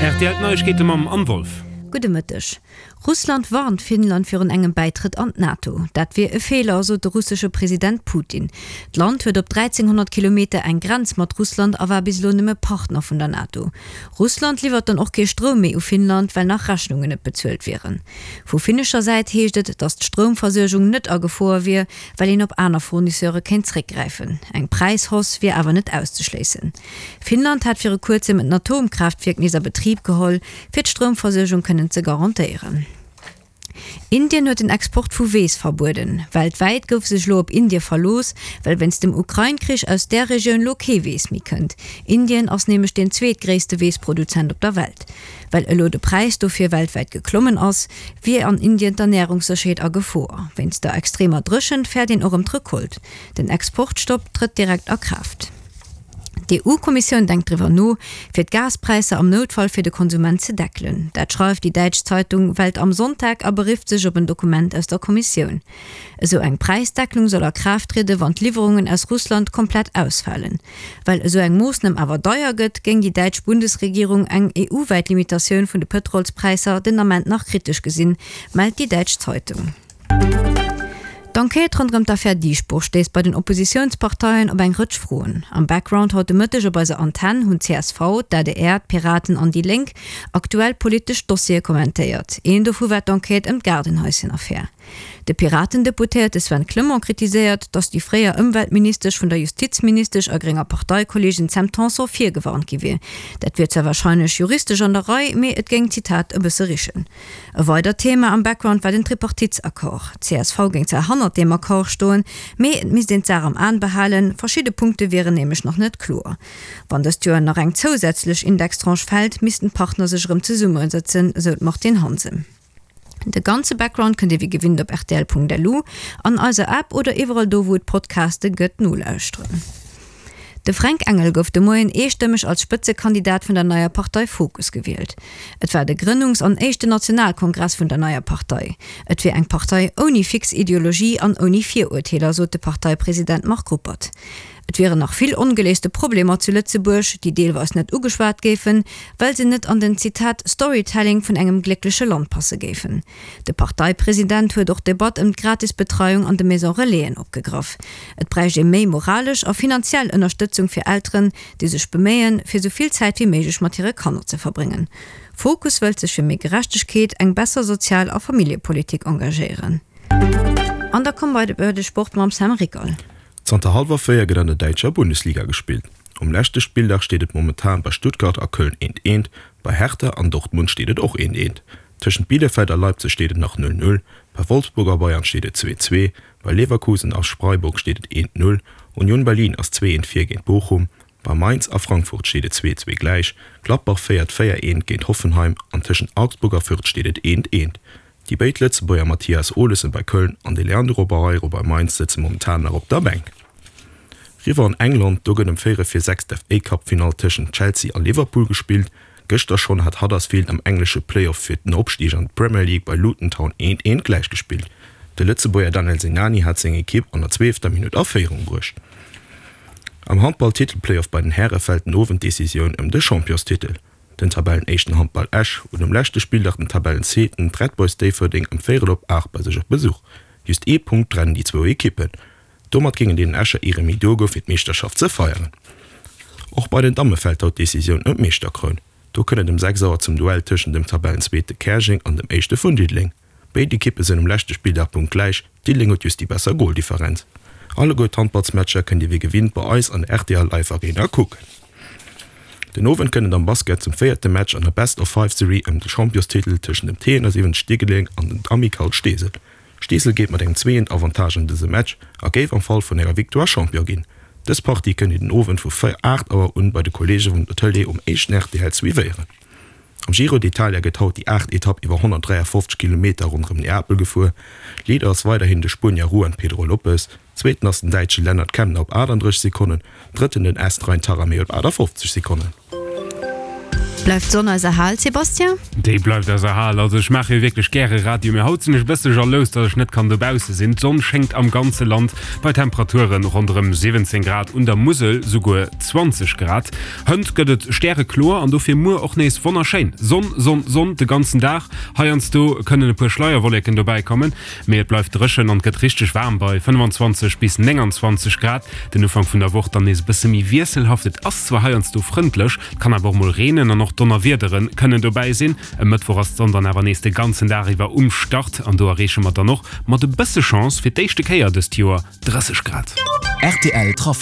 Rtl D'Neiegkeete mam Anne Wolff. Gudde Mëtteg. Russland warnt Finnland virun engem Bäitrëtt an d'NATO. Dat wier e Feeler, sot de russesche President Putin. D'Land huet op 1.300 Kilometer eng Grenz mat Russland a war bis elo nëmme Partner vun der NATO. Russland liwwert dann och kee Stroum méi u Finnland, well nach Rechnungen net bezuelt wieren. Vu finnescher Säit heescht et, datt d'Stroumversuergung net a Gefor wier, well een op aner Fournisseure kéint zréckgräifen. Eng Präishausse wier awer net auszeschléissen. Finnland hat viru kuerzem en Atomkraaftwierk nees a Betrib geholl, fir d'Stroumversuergung kënnen ze garantéieren. Indien huet den Export vu Weess verbueden. Weltwäit gouf sech elo op Indie verlooss, well wéinst dem Ukrain-Krich aus där Regioun lo kee Weess méi kënnt. Indien ass nämlech deen zweetgréisste Weessproduzent op der Welt. Well elo de Präis dofir weltwäit geklommen ass, wier an Indien d'Ernärungssécherheet a Gefor. Wéinst der extremer Dréchent fäert een och ëm d'Recolte. Den Exportstopp trëtt direkt a Kraaft. D'EU-Kommissioun denkt driwwer no, fir d'Gaspräisser am Noutfall fir de Konsument ze deckelen. Dat schreift déi däitsch Zeitung Welt am Sonntag a berifft sech op en Dokument aus der Kommissioun. Esou eng Präisdecklung soll a Kraaft triede wann d'Liwwerungen aus Russland komplett ausfalen. Well esou eng Moossnam awer deier gëtt, géing déi däitsch Bundesregierung eng EU-wäit Limitatioun vun de Pëtrolspräisser den Ament nach kritesch gesinn, mellt déi däitsch Zeitung. D'Enquête ronderëm d'Affär Dieschbourg stéisst bei den Oppositiounsparteien op eng Rëtsch Froen. Am Background haut de Mëtteg op eiser Antenn hunn csv, d'ADR, d'Piraten an déi Lénk aktuell politesch Dossiere kommentéiert. Een dovu war d'Enquête ëm d'Gaardenhaischen-Affär. De Piraten-Deputéierte Sven Clement kritiséiert, datt déi fréier Ëmweltministesch vun der Justizministesch a grénger Parteikolleegin Sam Tanson virgewarnt gi wier. Dat wier zwar warscheinlech juristesch an der Rei, mee et géing, Zitat, e bësse richen. E weidert Thema am Background war den Tripartitesaccord. D'CSV géing zwar hannert deem Accord stoen, mee et misst een d'Saach am Aen behalen, verschidde Punkte wieren nämlech nach net kloer. Wann dëst Joer nach eng zousätzlech Indextranche fält, missten d'Partner sech erëm zesummesëtzen, esou d'Martine Hansen. De ganze Background kënnt Dir wéi gewinnt op rtl.lu, an eiser App oder iwwerall do wou et Podcaste gëtt nolauschteren. De Fränk Engel gouf de Moien eestëmmeg als Spëtzekandidat vun der neier Partei Fokus gewielt. Et war de Grënnungs an éischten Nationalkongress vun der neier Partei. Et wier eng Partei ouni fix Ideologie an ouni Virurteeler, sot de Parteipresident Marc Ruppert. Et wieren nach vill ongeléiste Problemer zu Lëtzebuerg, déi deelweis net ugeschwat géifen, well se net an den, Zitat, Storytelling vun engem gléckleche Land passe géifen. De Parteipresident huet och d'Debatt ëm d'gratis Betreiung an de Maison Relaisen opgegraff. Et bräicht ee méi moralesch a finanziell Ënnerstëtzung fir Elteren, déi sech beméien, fir sou vill Zäit wéi méiglech mat hire Kanner ze verbréngen. Fokus wëllt sech fir méi Gerechtegkeet, eng besser Sozial a Familljepolitik engagéieren. An da komme bei de Sport mam Sam Rickal. Zanter hallwer 4 gëtt an der däitscher Bundesliga gespillt. Um leschte Spilldag steet et momentan bei Stuttgart a Köln eent eent, bei Hertha an Dortmund steet et och eent eent. Tëschent Bielefeld a Leipzig steet et nach 0, 0, bei Wolfsburg a Bayern steet et 2, 2, bei Leverkusen a Freiburg steet et 1, 0, Union Berlin ass 2, 1 vir géint Bochum, bei Mainz a Frankfurt steet et 2, 2 gläich, Gladbach féiert 4, 1 géint Hoffenheim an tëschent Augsburg a Fürth steet et 1, 1. Déi béid Lëtzebuerger Mathias Olesen bei Köln an de Leandro Barreiro bei Mainz sëtze momentan nach op der Bänk. Riwwer an England, do gëtt ëm véierel vir 6 d'FA-Cup-Finall tëschent Chelsea a Liverpool gespillt. Gëschter schonn hat Huddersfield am englesche Play-Off fir den Opstig an d'Premier League bei Luton Town eent eent gläichgespillt. De Lëtzebuerger Daniel Sinani hat seng Ekipp an der zwielefter Minutt a Féierung bruecht. Am Handball-Titel-Play-Off bei den Häre fält den Owend d'Decisioun ëm de Championstitel. Den Tabellenéischten Handball Esch huet um leschte Spilldag den Tabellenzweeten, d'Red Boys Déifferdeng, ëm véierel op 8 bei sech op Besuch. Just ee Punkt trennen déi zwou Ekippen. Domat géingen deenen Escher ee Remis duergoe fir d'Meeschterschaft ze feieren. Och bei den Damme fält haut d'Decisioun ëm d'Meeschterkroun. Do kënnt et ëm 6 Auer zum Duell tëschent dem Tabellenzweete Käerjeng an dem Éischte vun Diddeleng. Béid Ekippe sinn um leschte Spilldag punktgläich, Diddeleng huet just déi besser Goldifferenz. Alleguer d'Handballsmatcher kënnt Dir wéi gewinnt bei eis an der rtl Live Arena kucken. Den Owend kënnt et am Basket zum véierte Match an der Best-of-Five-Serie ëm de Championstitel tëschent dem T71 Diddeleng an den Amicale Steesel. Steesel geet mat engem zweeënt Avantage an dëse Match a géif am Fall vun enger Victoire Champion ginn. Dës Partie kënnt Dir den Owend vu 8 Auer un bei de Kolleege vun der Tëlee um éischten rtl suivéieren. Am Giro d'Italia gëtt haut déi aacht Etapp iwwer 153 Kilometer ronderëm Neapel gefuer. Leader ass weiderhin de Spuenier Juan Pedro Lopez, Zweeten ass den Däitsche Lennard Kemna op 38 Sekonnen, Drëtten den Est Rein Taaramäe op 58 Sekonnen. Bleift d'Sonn eis erhal, Sébastien? Déi bleift eis erhal. Also ech maache jo wierklech gäre Radio, mee haut sinn ech e bësse jalous, datt ech net kann dobausse sinn. D'Sonn schéngt am ganze Land bei Temperature ronderëm 17 Grad, un der Musel souguer 20 Grad. Hënt gëtt et stärekloer an dofir muer och nees wonnerschéin. Sonn, Sonn, Sonn de ganzen Dag. Heiansdo kënnen e puer Schleierwolleken dobäi kommen, mee et bleift dréchen an et gëtt richteg waarm bei 25 bis 29 Grad. Den Ufank vun der Woch dann nees e bësse méi wiesselhaft. Et ass zwar heiansdo frëndlech, et kann awer och mol reenen an och Donnerwiedere kënnen dobäi sinn. E Mëttwoch ass d'Sonn dann awer nees de ganzen Dag iwwer um Start an do erreeche mer dann och mat e bësse Chance fir d'éischte Kéier dëst Joer 30 Grad. Rtl Trafic.